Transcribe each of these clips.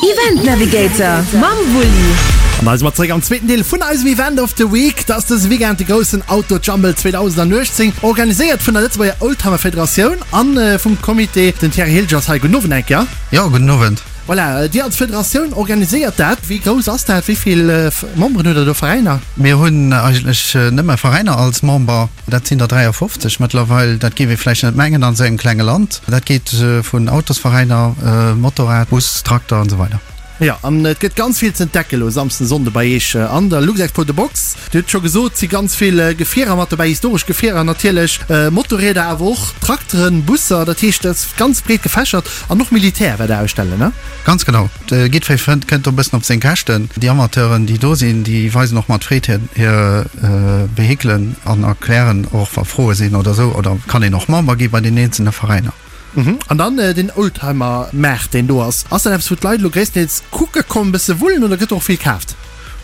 Event Navigator mam Wulli. An da si mer zeréck am zweeten Deel vun eisem Event of the Week. Dat ass dëse Weekend de groussen Auto Jumble 2018, organiséiert vun der Lëtzebuerger Oldtimer Federatioun an vum Comité. Den Thierry Hilger ass hei. Gudden Owend eng Kéier. Jo, gudden Owend. Voilà, Dir als Federatioun organiséiert dat. Wéi grouss ass dat? Wéi vill Memberen hutt Der do, Veräiner? Mir hunn eigentlech nëmme Veräiner als Member. Dat sinn der 53 mëttlerweil. Dat géif ee vläicht net mengen an esou engem klenge Land. Dat geet vun Autosveräiner, Motorrad, Bus, Trakter an esou weider. Jo, an et gëtt ganz vill z'entdecken elo Samsden, Sonnde bei Iech an der Luxexpo The Box. Dir hutt scho gesot, et si ganz vill Gefierer mat dobäi, historesch Gefierer natierlech, Motorrieder, awer och Trakteren, Busser. Dat heescht, et ass ganz breet gefächert an och Militär wäert Der ausstellen, ne? Ganz genau. Jiddweree fënnt, kënnt do e bëssen op seng Käschten. Déi Amateuren, déi do sinn, déi weisen och mat Freed hir, hir Vehikelen an erklären och, wa Froe sinn oder esou. Oder kann een och Member gi bei den eenzelne Veräiner. An dann den Oldtimer-Maart, deen do ass. Ass dat eppes, wou d'Leit elo gréisstendeels kucke kommen, e bësse wullen oder gëtt do och vill kaaft?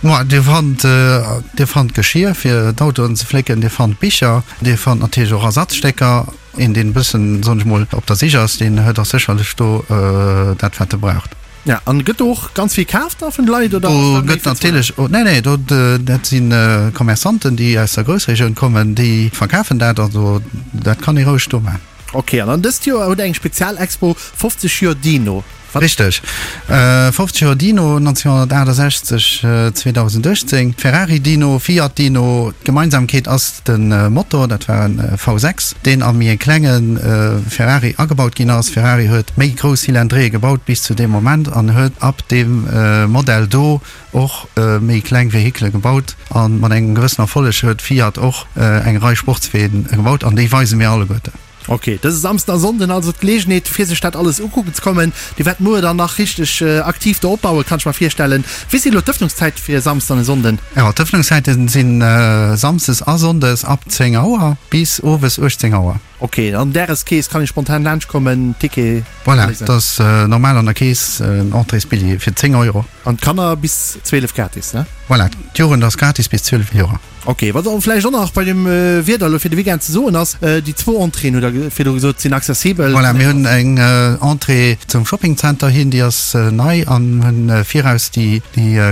Ma Dir fannt, Dir fannt Geschir fir d'Autoen ze flécken, Dir fannt Bicher, Dir fannt natierlech och Ersatzstécker. Een deen e bëssen, soen ech mol, op der Sich ass, deen huet och sécherlech do dat wat e braucht. Ja, an gëtt do och ganz vill kaaft da vun de Leit oder ass dat méi fir d'Zuelen? Do gëtt natierlech, nee nee, do dat si Commerçanten déi aus der Groussregioun kommen, déi verkafen dat, also dat kann ee roueg do maachen. Ok, an dann dëst Joer hutt der eng Spezialexpo 50 Joer Dino. Wat? Richteg, 50 Joer Dino, 1968, 2018, Ferrari Dino, Fiat Dino, d'Gemeinsamkeet ass de Motor, dat war e V6, deen a méi e klenge Ferrari agebaut ginn ass. Ferrari huet méi grouss Cylindréeë gebaut bis zu deem Moment an huet ab deem Modell do och méi kleng Vehikele gebaut. A mat engem gewëssen Erfolleg huet Fiat och eng Rei Sportsween gebaut an déi weise mir alleguerten. Ok, dëse Samsden a Sonnden also d'Geleegenheet fir sech dat alles ukucken ze kommen. Dir wäert muer dann nach richteg aktiv do opbauen, kann ech mer virstellen. Wéi sinn elo d'Ëffnungszäite fir e Samsden an e Sonnden? Jo, d'Ëffnungszäite sinn Samsdes a Sonndes ab 10 Auer bis owes 18 Auer. Ok, an Dageskeess kann ee spontan laanscht kommen, Ticket Voilà, dat ass normal an der Keess, en Entréesbilljee fir 10 Euro. An d'Kanner bis 12 gratis, ne? Voilà, d'Jugend ass gratis bis 12 Joer. Ok, wat och vläicht och nach bei dem Wieder elo fir de Weekend ze soen ass, déi zwou Entréeën, hutt Der virdru gesot, sinn accessibel. Voilà, mir hunn eng Entrée zum Shoppingzenter hin, déi ass nei, an hunn viraus déi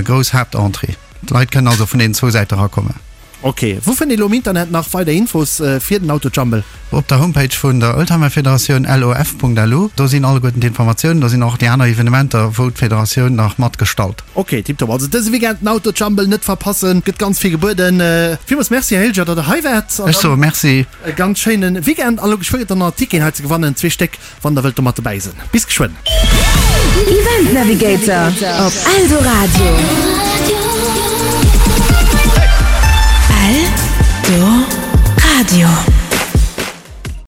grouss Haaptentrée. D'Leit kënnen also vun deenen zwou Säite erakommen. Ok, wou fënnt ee lo am Internet nach weider Infos fir den Autojumble? Op der Homepage vun der Oldtimer-Federatioun, lof.lu, do sinn alleguerten d'Informatiounen, do sinn och déi aner Evenementer, wou d'Federatioun nach mat gestalt. Ok, tiptop. Also dëse Weekend den Autojumble net verpassen, gëtt ganz vill gebueden. Villmools Merci, Här Hilger, datt Der hei waart. Ech soe Merci. E ganz schéine Weekend a lo geschwë gëtt dann nach Ticketen hei ze gewannen, zwee Stéck, wann Der wëllt domat dobäi sinn. Bis geschwënn. Event Navigator op Eldoradio. Eldoradio.